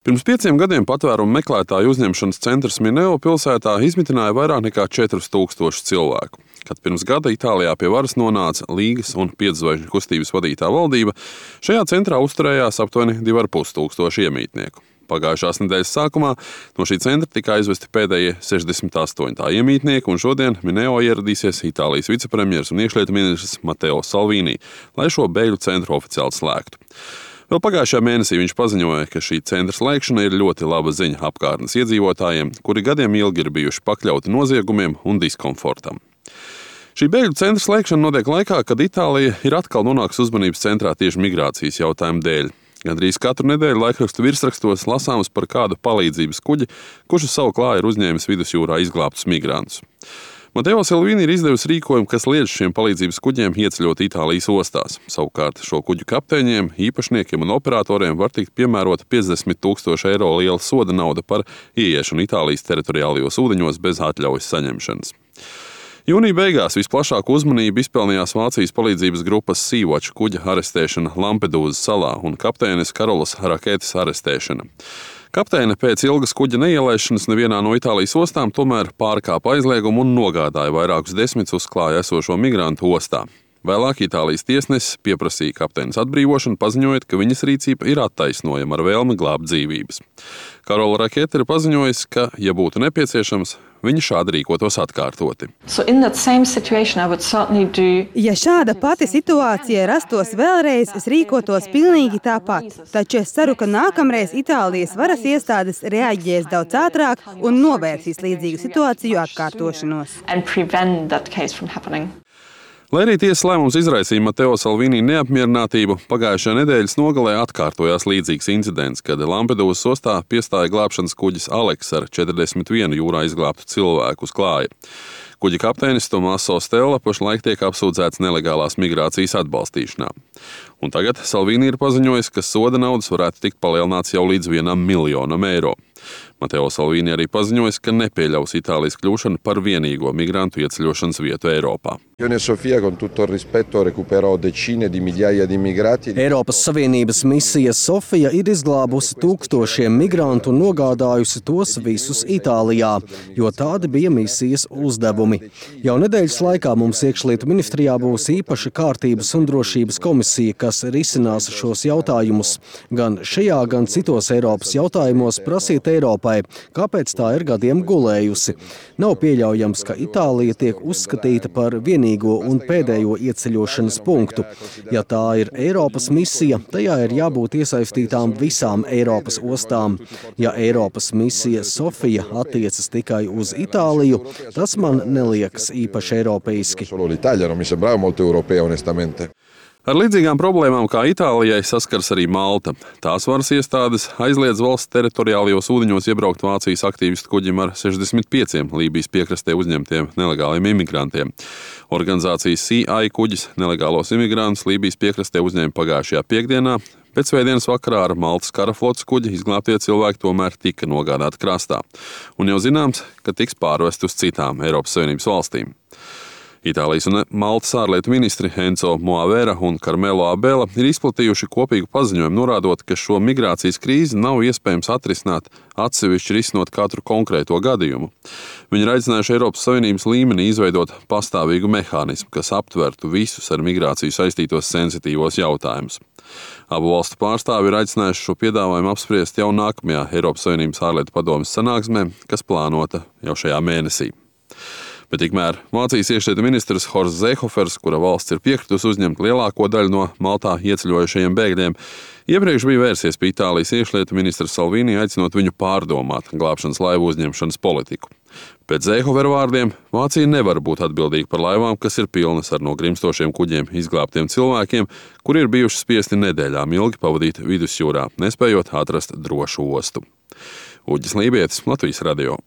Pirms 5 gadiem patvērumu meklētāju uzņemšanas centrs Mineo pilsētā izmitināja vairāk nekā 4000 cilvēku. Kad pirms gada Itālijā pie varas nonāca Līgas un Pietzvaigžņu kustības vadītā valdība, šajā centrā uzturējās aptuveni 2500 iemītnieku. Pagājušās nedēļas sākumā no šī centra tika aizvesti pēdējie 68 tā iemītnieki, un šodien Mineo ieradīsies Itālijas vicepremjers un iekšlietu ministrs Matteo Salvini, lai šo bēgļu centru oficiāli slēgtu. Vēl pagājušajā mēnesī viņš paziņoja, ka šī centra slēgšana ir ļoti laba ziņa apkārtnes iedzīvotājiem, kuri gadiem ilgi ir bijuši pakļauti noziegumiem un diskomfortam. Šī bēgļu centra slēgšana notiek laikā, kad Itālija ir atkal nonākusi uzmanības centrā tieši migrācijas jautājumu dēļ. Gandrīz katru nedēļu laikrakstu virsrakstos lasāms par kādu palīdzības kuģi, kurš uz savu klāju ir uzņēmis vidusjūrā izglābtus migrantus. Matteo Salvini ir izdevusi rīkojumu, kas liedz šiem palīdzības kuģiem ieceļot Itālijas ostās. Savukārt šo kuģu kapteiņiem, īpašniekiem un operatoriem var tikt piemērota 50 000 eiro liela soda nauda par ieiešanu Itālijas teritoriālajos ūdeņos bez atļaujas saņemšanas. Jūnija beigās visplašāku uzmanību izpelnījās Vācijas palīdzības grupas Sea-Watch kuģa arestēšana Lampedūzas salā un kapteines Karolas Raketes arestēšana. Kapteine pēc ilgas kuģa neielaišanas nevienā no Itālijas ostām tomēr pārkāpa aizliegumu un nogādāja vairākus desmitus uz klāja esošo migrantu ostā. Vēlāk Itālijas tiesnesis pieprasīja kapteines atbrīvošanu, paziņojot, ka viņas rīcība ir attaisnojama ar vēlmi glābt dzīvības. Karola Rakete ir paziņojis, ka, ja būtu nepieciešams, viņa šādi rīkotos atkārtoti. Ja šāda pati situācija rastos vēlreiz, es rīkotos pilnīgi tāpat. Taču es ceru, ka nākamreiz Itālijas varas iestādes reaģēs daudz ātrāk un novērsīs līdzīgu situāciju atkārtošanos. Lai arī tiesas lēmums izraisīja Matteo Salvini neapmierinātību, pagājušajā nedēļas nogalē atkārtojās līdzīgs incidents, kad Lampedūzas ostā piestāja glābšanas kuģis Aleks ar 41 jūrā izglābtu cilvēku uz klāja. Kuģa kapteinis Tomaso Stella pašlaik tiek apsūdzēts nelegālās migrācijas atbalstīšanā. Un tagad Salvini ir paziņojis, ka soda naudas varētu tikt palielināts jau līdz 1 miljonam eiro. Matteo Salvini arī paziņojis, ka nepieļaus Itālijas kļūšanu par vienīgo migrantu ieceļošanas vietu Eiropā. Eiropas Savienības misija Sofija ir izglābusi tūkstošiem migrantu un nogādājusi tos visus Itālijā, jo tādi bija misijas uzdevumi. Jau nedēļas laikā mums iekšlietu ministrijā būs īpaša kārtības un drošības komisija, kas risinās šos jautājumus. Gan šajā, gan citos Eiropas jautājumos prasīt Eiropai, kāpēc tā ir gadiem gulējusi. Nav pieļaujams, ka Itālija tiek uzskatīta par vienīgo un pēdējo ieceļošanas punktu. Ja tā ir Eiropas misija, tajā ir jābūt iesaistītām visām Eiropas ostām. Ja Eiropas misija Sofija attiecas tikai uz Itāliju, tas man neliekas īpaši eiropeiski. Ar līdzīgām problēmām kā Itālijai saskars arī Malta. Tās varas iestādes aizliedz valsts teritoriālajos ūdeņos iebraukt Vācijas aktīvistu kuģim ar 65 Lībijas piekrastē uzņemtiem nelegāliem imigrantiem. Organizācijas CI kuģis nelegālos imigrantus Lībijas piekrastē uzņēma pagājušajā piekdienā. Pēc svētdienas vakarā ar Maltas karaflotes kuģi izglābtie cilvēki tomēr tika nogādāti krastā. Un jau zināms, ka tiks pārvesti uz citām Eiropas Savienības valstīm. Itālijas un Maltas ārlietu ministri Enzo Moavera un Carmelo Abela ir izplatījuši kopīgu paziņojumu, norādot, ka šo migrācijas krīzi nav iespējams atrisināt atsevišķi risinot katru konkrēto gadījumu. Viņi ir aicinājuši Eiropas Savienības līmenī izveidot pastāvīgu mehānismu, kas aptvertu visus ar migrāciju saistītos sensitīvos jautājumus. Abu valstu pārstāvi ir aicinājuši šo piedāvājumu apspriest jau nākamajā Eiropas Savienības ārlietu padomes sanāksmē, kas plānota jau šajā mēnesī. Bet tikmēr Vācijas iekšlietu ministrs Horsts Seehofers, kura valsts ir piekritusi uzņemt lielāko daļu no Maltā ieceļojušajiem bēgļiem, iepriekš bija vērsies pie Itālijas iekšlietu ministra Salvini, aicinot viņu pārdomāt glābšanas laivu uzņemšanas politiku. Pēc Seehofera vārdiem Vācija nevar būt atbildīga par laivām, kas ir pilnas ar no grimstošiem kuģiem izglābtiem cilvēkiem, kuri ir bijuši spiesti nedēļām ilgi pavadīt vidusjūrā, nespējot atrast drošu ostu. Uģis Lībietis, Latvijas radio.